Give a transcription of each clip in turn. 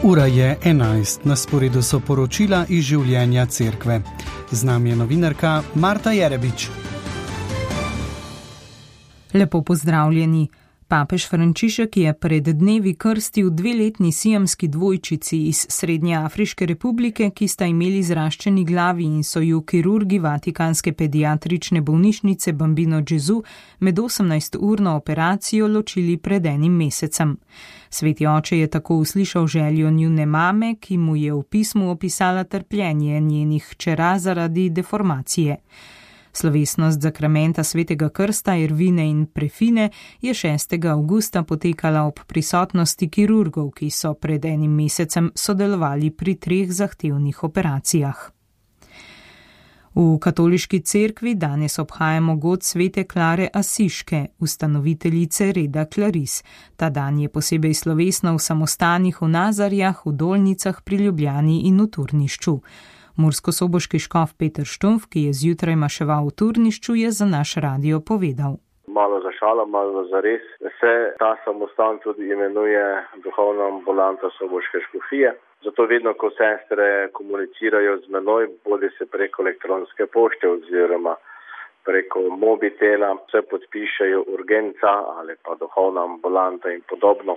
Ura je 11, na sporedu so poročila iz življenja cerkve. Z nami je novinarka Marta Jerebič. Lepo pozdravljeni. Papež Frančišek je pred dnevi krstil 2-letni siamski dvojčici iz Srednjeafriške republike, ki sta imeli zraščeni glavi in so ju kirurgi Vatikanske pediatrične bolnišnice Bambino Gesù med 18-urno operacijo ločili pred enim mesecem. Sveti oče je tako uslišal željo njune mame, ki mu je v pismu opisala trpljenje njenih hčera zaradi deformacije. Slovesnost zakramenta svetega krsta Ervine in Prefine je 6. avgusta potekala ob prisotnosti kirurgov, ki so pred enim mesecem sodelovali pri 3 zahtevnih operacijah. V katoliški cerkvi danes obhajamo god svete Klare Asiške, ustanoviteljice reda Klaris. Ta dan je posebej slovesno v samostanih v Nazarjah, v Dolnicah pri Ljubljani in v Turnišču. Murskosoboški škof Peter Štumf, ki je zjutraj maševal v Turnišču, je za naš radio povedal. Malo za šalo, malo za res. Se ta samostan tudi imenuje duhovna ambulanta Soboške škofije. Zato vedno, ko sestre komunicirajo z menoj, bodi se preko elektronske pošte oziroma preko mobitela, se podpišejo urgenca ali pa duhovna ambulanta in podobno.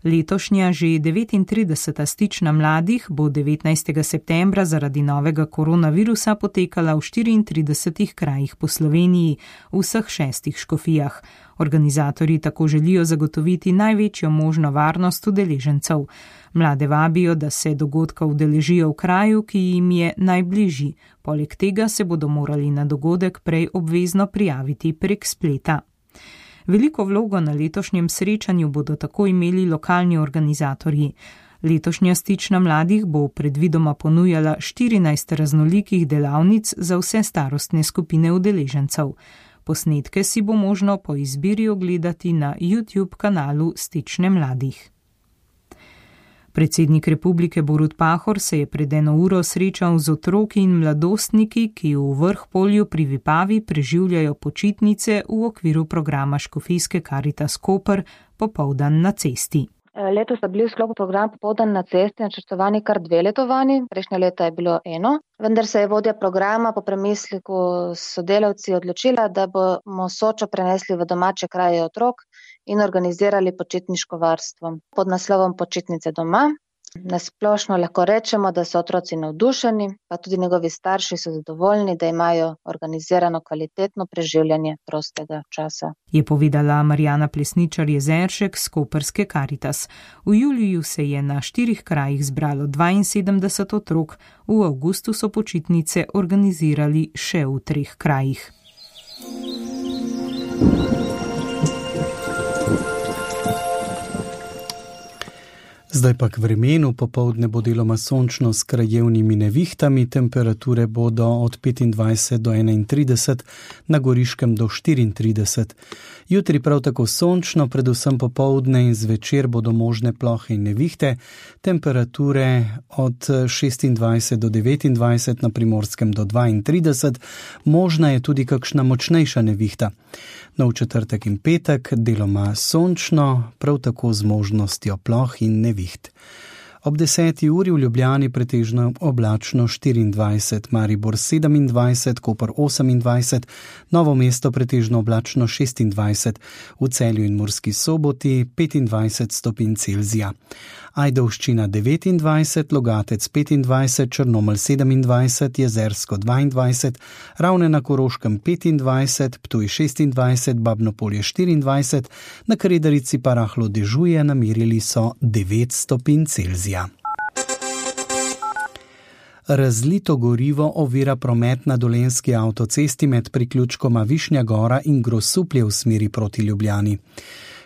Letošnja že 39. stična mladih bo 19. septembra zaradi novega koronavirusa potekala v 34 krajih po Sloveniji, v vseh 6 škofijah. Organizatorji tako želijo zagotoviti največjo možno varnost udeležencev. Mlade vabijo, da se dogodka udeležijo v kraju, ki jim je najbližji. Poleg tega se bodo morali na dogodek prej obvezno prijaviti prek spleta. Veliko vlogo na letošnjem srečanju bodo tako imeli lokalni organizatorji. Letošnja stična mladih bo predvidoma ponujala 14 raznolikih delavnic za vse starostne skupine udeležencev. Posnetke si bo možno po izbiri ogledati na YouTube kanalu Stične mladih. Predsednik republike Borut Pahor se je pred 1 uro srečal z otroki in mladostniki, ki v Vrhpolju pri Vipavi preživljajo počitnice v okviru programa Škofijske Karitas Koper Popoldan na cesti. Letos so bili v sklopu programa Popoldan na cesti načrtovani kar 2 letovanji, prejšnje leta je bilo 1, vendar se je vodja programa po premisleku s sodelavci odločila, da bomo Sočo prenesli v domače kraje otrok in organizirali počitniško varstvo pod naslovom Počitnice doma. Nasplošno lahko rečemo, da so otroci navdušeni, pa tudi njegovi starši so zadovoljni, da imajo organizirano kvalitetno preživljanje prostega časa. Je povedala Marjana Plesničar-Jezeršek z Koperske Karitas. V juliju se je na 4 krajih zbralo 72 otrok, v avgustu so počitnice organizirali še v 3 krajih. Zdaj pa k vremenu. Popoldne bo deloma sončno s krajevnimi nevihtami, temperature bodo od 25 do 31, na Goriškem do 34. Jutri prav tako sončno, predvsem popoldne in zvečer bodo možne plohe in nevihte, temperature od 26 do 29, na Primorskem do 32, možna je tudi kakšna močnejša nevihta. No, v četrtek in petek deloma sončno, prav tako z možnostjo ploh in neviht. Ob 10. uri v Ljubljani pretežno oblačno 24, Maribor 27, Koper 28, Novo mesto pretežno oblačno 26, v Celju in Murski Soboti 25 stopinj Celzija. Ajdovščina 29, Logatec 25, Črnomelj 27, Jezersko 22, Ravne na Koroškem 25, Ptuj 26, Babnopolje 24, na Kredarici pa rahlo dežuje, namerili so 9 stopinj Celzija. Razlito gorivo ovira promet na dolenjski avtocesti med priključkoma Višnja Gora in Grosuplje v smeri proti Ljubljani.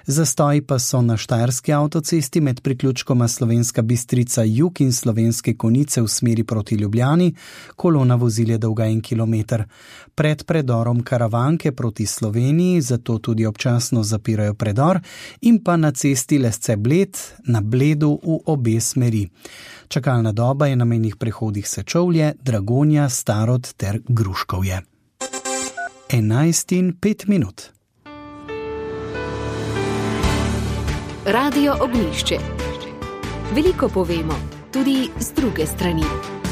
Zastoji pa so na štajerski avtocesti med priključkoma Slovenska Bistrica Jug in Slovenske Konjice v smeri proti Ljubljani, kolona vozil je dolga 1 kilometer. Pred predorom Karavanke proti Sloveniji, zato tudi občasno zapirajo predor, in pa na cesti Lesce-Bled na Bledu v obe smeri. Čakalna doba je na mejnih prehodih Sečovlje, Dragonja, Starod ter Gruškovje. 11:05. Radio Ognjišče. Veliko povemo, tudi z druge strani.